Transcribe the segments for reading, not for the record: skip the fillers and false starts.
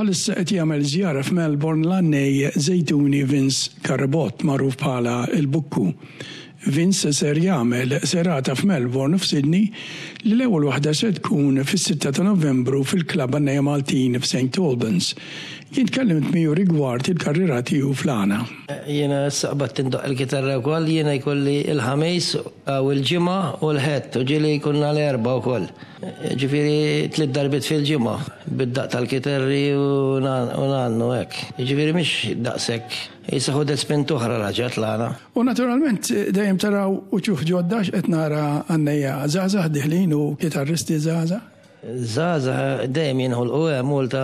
Bħalissa qed jagħmel żjara f'Melbourne l-għannej Żejtuni Vince Carabott magħruf bħala l-Bukku. Vince ser jagħmel serata f'Melbourne u f'Sydney li l-ewwel waħda se tkun fis-sitta ta' Novembru fil-Klabb Għannejja Maltin f'St Albans. Jien tkellimt miegħu rigward il-karriera tiegħu fl-għana. Jiena issa qbadt indoqq il-kitarra wkoll, jiena jkolli l-Ħamis u l-Ġimgħa u l-Ħadd u ġieli jkollna l-Erbgħa wkoll. Jiġifieri tliet darbiet fil-ġimgħa bid-daqq tal-kiterri u ngħannu hekk. Jiġifieri mhix daqshekk, qisha ħudet spinta oħra raġgħet l-għana. U naturalment dejjem taraw uċuħ ġodda għax qed nara għannejja żgħażagħ diħlin u kitarristi żgħażagħ. Żgħażagħ dejjem jinħolqu hemm Malta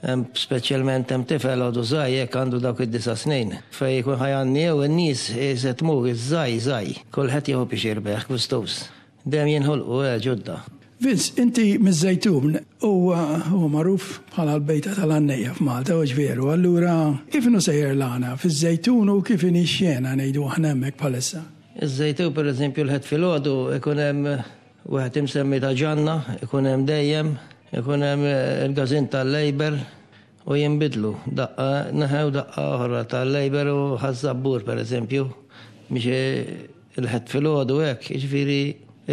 hemm speċjalment hemm tifel għadu żgħir hekk għandu dawk id-disa' snin fejn jkun ħa jgħanni jew in-nies se tmur iż-żgħir żgħir. Kulħadd jieħu pixir bih gustuż. Dejjem jinħolqu eh ġodda. Vince, inti miż-Żejtun u huwa magħruf bħala l-bejta tal-għannejja f'Malta, hux veru? Allura kif inhu sejjer l-għana fiż-Żejtun u kif inhi x-xena ngħidu aħna hemmhekk bħalissa? Iż-Żejtun pereżempju l-Ħadd filgħodu ikun hemm wieħed imsemmi ta' Ġanna, ikun hemm dejjem, ikun hemm il-każin tal-Labour, U jinbidlu, daqqa naħa u daqqa oħra, tal-Labour u Ħaż-Żabbur pereżempju, biex il-Ħadd filgħodu hekk, jiġifieri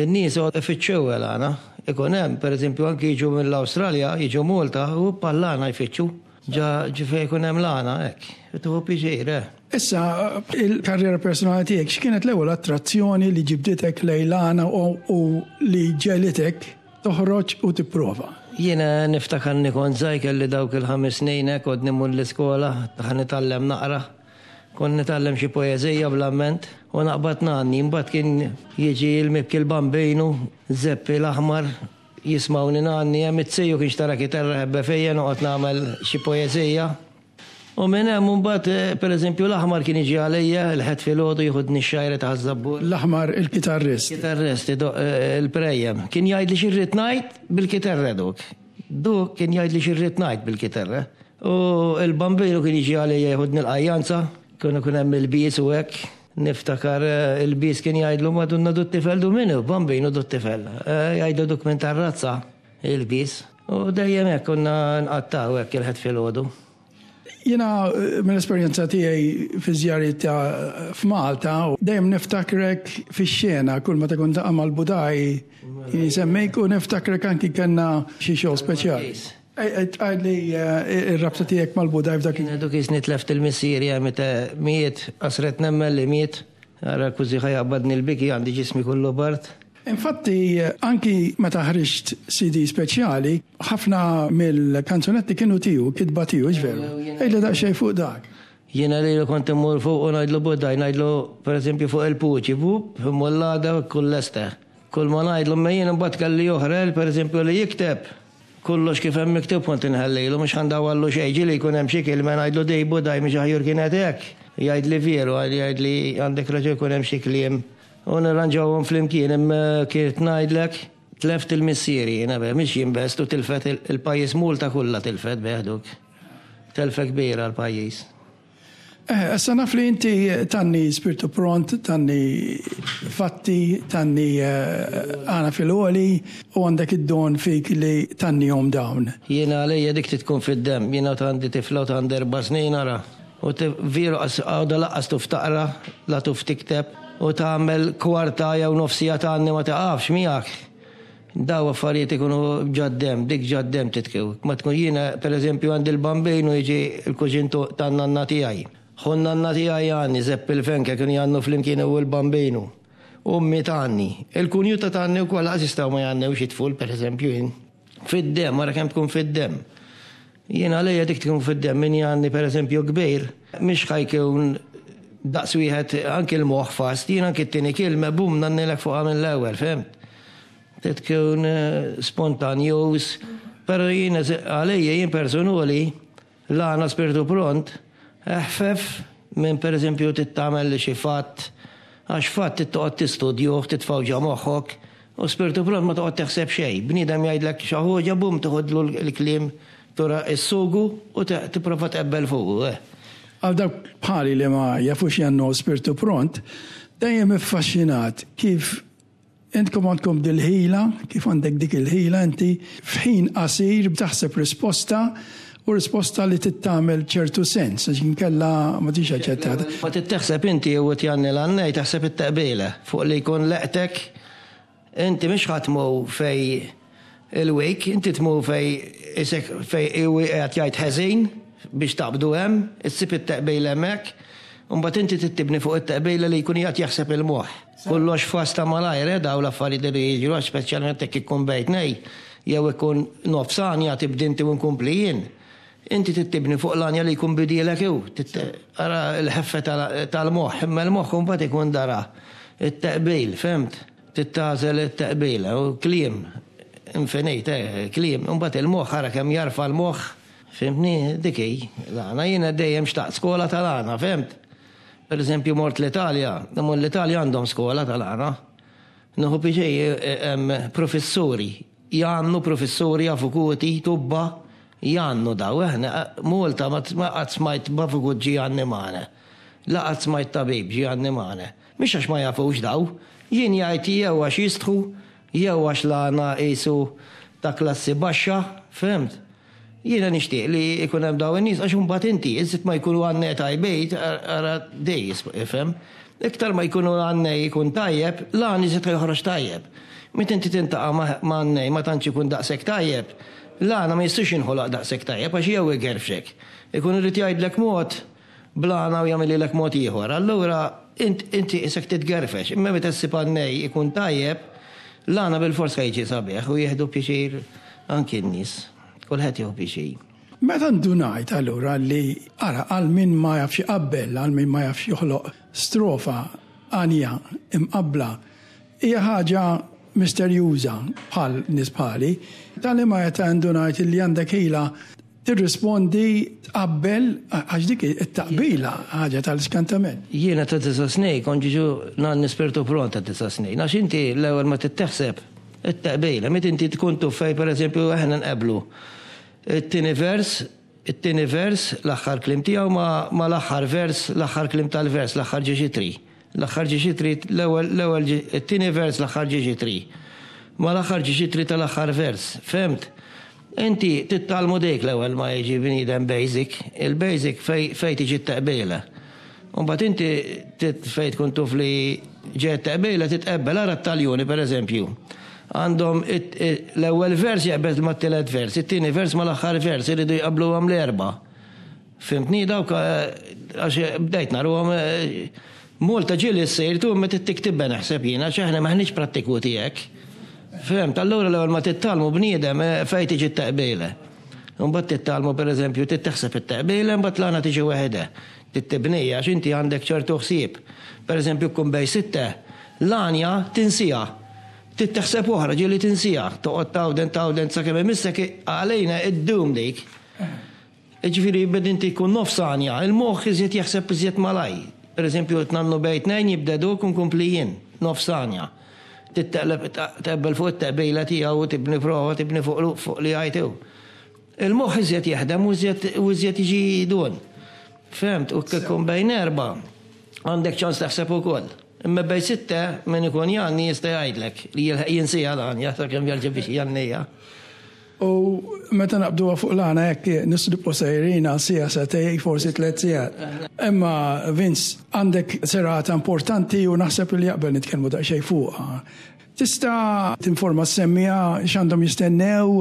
n-nies ifittxew għal-għana. Ikun hemm, pereżempju anki jiġu mill-Awstralja, jiġu Malta u bħall-għana jfittxu. Ġa fejn ikun hemm l-għana hekk. Tieħu pjaċir, eh. Issa, il-karriera personali tiegħek, x'kienet l-ewwel attrazzjoni li ġibditek lejn l-għana u li ġegħlitek Toħroġ u tipprova. Jiena niftakarni kont żgħir kelli dawk il-ħames snin hekk għodni mmur l-iskola ħa nitgħallem naqra. Kont nitgħallem xi poeżija bl-amment u naqbad ngħanni. Imbagħad kien jiġi l-mibki l-Bambinu, Zeppi l-Aħmar, jismgħuni ngħanni hemm. It-tiju kien xtara kitarra ħebbe fija noqgħod nagħmel xi poeżija. U minn hemm imbagħad, pereżempju, l-Aħmar kien jiġi għalija il-Ħadd filgħodu jieħudni x-xgħira ta' Ħaż-Żabbur. L-Aħmar il-kitarrist. Kitarrist idoqq il-prejjem. Kien jgħidli xi rrid ngħid bil-kitarra duk. Duk kien jgħidli xi rrid ngħid bil-kitarra. U l-Bambinu kien jiġi għalija jieħudni l-qajjanza, kien ikun hemm il-bies u hekk. Niftakar il-bies kien jgħidlu Madonna du t-tifel du min hu? Bambinu du t-tifel. Jgħidlu duk minn tar-razza. Il-bies. U dejjem hekk konna nqattgħu hekk il-Ħadd filgħodu. Jiena mill-esperjenza tiegħi fi żjariet ta' f'Malta, dejjem niftakrek fix-xena kull meta kont niltaqa' mal-Budaj kien jsemmik u niftakrek anki kellna xi show speċjali. Għidli r-rabta tiegħek mal-Budaj f'dak. Jiena duk qisni tleft il-missieri meta miet, qasret nemmen li miet. Ara kważi ħa jaqbadni l-biki għandi ġismi kollu bard. Infatti, anki meta ħriġt CD speċjali, ħafna mill-kanzunetti kienu tiegħu, kitba tiegħu, hux veru? Għidli daqsxejn fuq dak. Jiena lilu kont immur fuq u ngħidlu Budaj, ngħidlu pereżempju fuq il-puċi, vup, immur l-għada u jkun lesta. Kull ma ngħidlu, imma jien imbagħad kelli oħra, pereżempju li jikteb, kollox kif hemm miktub kont inħallilu, mhux ħa ndawwarlu xejn, ġieli jkun hemm xi kelma ngħidlu dej Budaj mhix aħjur kienet hekk. Jgħidli veru, jgħidli għandek raġun jkun hemm xi kliem U nirranġawhom flimkien imma kif ngħidlek tleft il-missieri jiena beh, mhix jien best u tilfet il-pajjiż Malta kollha tilfet beh duk. Telfa kbira għall-pajjiż. Eh, issa naf li inti tgħanni spirtu pront, tgħanni fatti, tgħanni għana fil-għoli u għandek id-don fik li tgħannihom dawn. Jiena għalija dik trid tkun fid-demm, jiena għandi tifla u għandi erba' snin ara. U veru qas għadha lanqas tuf taqra, la tuf tikteb, u tagħmel kwarta jew nofs siegħa tgħanni ma tiqafx miegħek. Daw affarijiet ikunu ġad-demm, dik ġad-demm titkew. Ma tkun jiena pereżempju għandi l-Bambin u jiġi l-kuġin tan-nanna tiegħi. Ħu n-nanna tiegħi jgħanni, Żeppi l-Fenke kienu jgħannu flimkien hu u l-Bambinu. Ommi tgħanni. Il-kunjuta tgħanni wkoll lanqas jistgħu ma jgħannewx it-tful pereżempju jien. Fid-demm, ara kemm tkun fid-demm. Jien għalija dik tkun fid-demm, min jgħanni pereżempju kbir, mhix ħa jkun daqs wieħed anki l-moħħ fast, jien anki t-tieni kilma bum ngħannilek fuqha mill-ewwel, fhimt? Trid tkun spontanjuż, però jien għalija jien personuli L-għana spirtu pront, eħfef minn pereżempju trid tagħmel xi fatt, għax fatt trid toqgħod tistudjuh, titfgħu ġo moħħok, u spirtu pront ma toqgħod teħseb xejn. Bniedem jgħidlek xi ħuġa, bum tiħodlu l-kliem tura s-sugu u tipprova tqebbel fuqu, eh. Għal dawk bħali li ma jafux jgħannu spirtu pront, dejjem iffaxxinat kif Intkom għandkom dil-ħila, kif għandek dik il-ħila inti f'ħin qasir taħseb risposta u u risposta li trid tagħmel ċertu sens għax inkella ma tiġix aċċettata. Ma trid teħseb inti u tjanni l-għannej taħseb it-teqbila fuq li jkun leqtek inti mhix ħa tmur fej il-weak, inti tmur fej isek fej qiegħed jgħid ħeżin biex taqbdu hemm, issib it-teqbila hemmhekk, u mbagħad inti trid tibni fuq it-teqbila li jkun qiegħed jaħseb il-moħħ. Kollox fast ta' malajr, eh, daw l-affarijiet li jiġru, għax speċjalment jekk ikun bejt nej, jew ikun nofs għanja tibdi inti u nkompli jien. Inti trid tibni fuq l-għanja li jkun bidielek hu. Ara l-ħeffa tal-moħħ, imma l-moħħ imbagħad ikun dara it-teqbil, fhimt? Trid tagħżel it-teqbil, u kliem infinit, eh, kliem. Imbagħad il-moħħ ara kemm jarfa' l-moħħ, fhimtni? Dik hi l-għana. Jiena dejjem xtaqt skola tal-għana, fhimt? Per eżempju mort l-Italja, imma l-Italja għandhom skola tal-għana. Nieħu pjaċir hemm professuri, jgħannu professuri, avukuti, tubba, jgħannu daw. Aħna Malta ma qatt smajt b'avukut ġie jgħanni magħna. La qatt smajt tabib ġie jgħanni magħna. Mhix għax ma jafux daw. Jien jgħid jew għax jistħu, jew għax l-għana qisu ta' klassi baxxa, fhimt? Jiena nixtieq li jkun hemm dawn in-nies għax imbagħad inti, iżjed ma jkunu għannej tajbin, ara dej ifhem, iktar ma jkunu għannej ikun tajjeb, l-għan iżjed ħa joħroġ tajjeb. Meta inti tintaqa' ma' għannej ma tantx ikun daqshekk tajjeb, l-għana ma jistax jinħoloq daqshekk tajjeb għax jew igerfxek, ikun irid jgħidlek mod bl-għana u jagħmililek mod ieħor. Allura int inti qisek titgerfex, imma meta ssib għannej ikun tajjeb, l-għana bilfors ħa jiġi sabiħ u jieħdu pjaċir anki n-nies. Kulħadd jieħu pjaċir. Meta ndunajt allura li, ara, għal min ma jafx iqabbel, għal min ma jafx joħloq strofa għanja imqabbla, hija ħaġa misterjuża bħal nies bħali, ta' liema età ndunajt li għandek ħila tirrispondi, tqabbel, għax dik it-taqbila ħaġa tal-iskantament. Jiena ta' disa' snin kont ġiġu ngħanni spirtu pront ta' disa' snin, għax inti l-ewwel ma trid teħseb it-taqbila, meta inti tkun tuf fejn pereżempju aħna nqabblu it-tieni vers, it-tieni vers l-aħħar kliem tiegħu ma' mal-aħħar vers, l-aħħar kliem tal-vers, l-aħħar ġiex itri. L-aħħar ġiex itri, l-ewwel, l-ewwel, it-tieni vers l-aħħar ġiex itri. Mal-aħħar ġiex itri tal-aħħar vers. Fhimt? Inti titgħallmu dik l-ewwel ma jiġi bniedem basic, il-basic fej fej tiġi t-teqbila. U mbagħad inti fejn tkun tuf li ġejja t-teqbila titqebbel, ara t-Taljuni pereżempju. Għandhom l-ewwel vers jaqbeż mat-tielet vers, it-tieni vers mal-aħħar vers, iridu jqabbluhom l-erba'. Fhimtni dawk għax bdejt naruhom Malta ġieli ssir tu imma trid tiktibha naħseb jien għax aħna m'aħniex prattikuti hekk. Fhimt, allura l-ewwel ma titgħallmu bniedem fejn tiġi t-teqbila. Imbagħad titgħallmu pereżempju trid taħseb it-teqbila imbagħad l-għana tiġi waħedha. Trid tibnija għax inti għandek ċertu ħsieb. Pereżempju tkun bejn sitte, l-għanja tinsiha. Trid taħseb oħra ġieli tinsiha. Toqgħod tgħawden tgħawden sakemm imissek għalina iddum dik. Jiġifieri bed inti jkun nofs għanja, il-moħħ iżjed jaħseb iżjed malajr. Per eżempju, qed ngħannu bejn tnejn jibda duk u nkompli jien, nofs għanja. Trid teqleb teqbel fuq it-teqbila tiegħu u tibni prova, tibni fuq fuq li jgħid hu. Il-moħħ iżjed jaħdem u iżjed u iżjed jiġi dun. Fhemt? U kif ikun bejn erbgħa, għandek ċans taħseb ukoll. Imma bejn sitte, min ikun jgħanni jista' jgħidlek li jilħaq jinsiha l-għanja sakemm jerġa' biex jgħanniha. U meta naqbduha fuq l-għana hekk nistgħu sejrin għal siegħa, sagħtejn, forsi tlett sigħat. Imma Vince, għandek serata importanti u naħseb li jaqbel nitkellmu daqsxejn fuqha. Tista' tinforma s-semmiegħa x'għandhom jistennew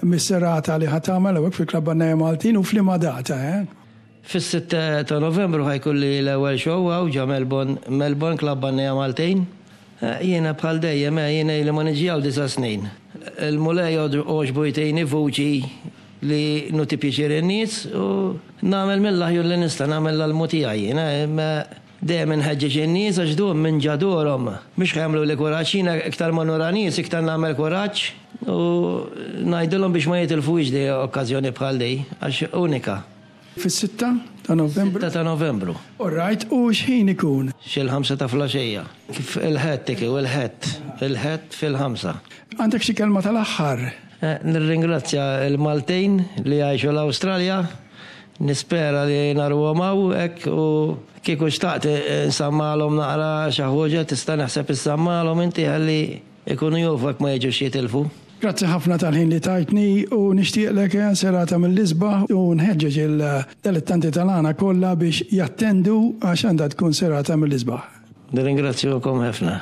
mis-serata li ħa tagħmel hawnhekk fil-Klabb Għannejja Maltin u f'liema data, eh? Fis-sitta ta' Novembru ħa jkolli l-ewwel show hawn ġa Melbourne, Melbourne, Klabb Għannejja Maltin. Jiena bħal dejjem, eh, jiena ili ma niġi hawn disa' snin. Il-Mulej għoġbu jtini vuċi li nuti pjaċir in-nies u nagħmel mill-aħjar li nista', nagħmel l-almu tiegħi jiena, imma dejjem inħeġġeġ in-nies għax dum minn ġa dorhom mhux ħa jagħmluli kuraġġ, jiena iktar ma nura nies iktar nagħmel kuraġġ u ngħidilhom biex ma jitilfux di okkażjoni bħal di għax unika. Fis-sitta ta' Novembru? Sitta ta' Novembru. All right, u x'ħin ikun? Xi l-ħamsa ta' flaxija. Kif il-Ħadd ikun, il-Ħadd, il-Ħadd fil-ħamsa. Għandek xi kelma tal-aħħar? Nirringrazzja l-Maltin li jgħixu l-Awstralja. Nispera li naruhom hawn hekk u kieku xtaqt insammalhom naqra xi ħuġa tista' naħseb issammalhom inti ħalli jkunu jafu hekk ma jiġux jitilfu. Grazzi ħafna tal-ħin li tajtni u nixtieqlek serata mill-isbaħ u nħeġġeġ il-dilettanti tal-għana kollha biex jattendu għax għandha tkun serata mill-isbaħ. Nirringrazzjukom ħafna.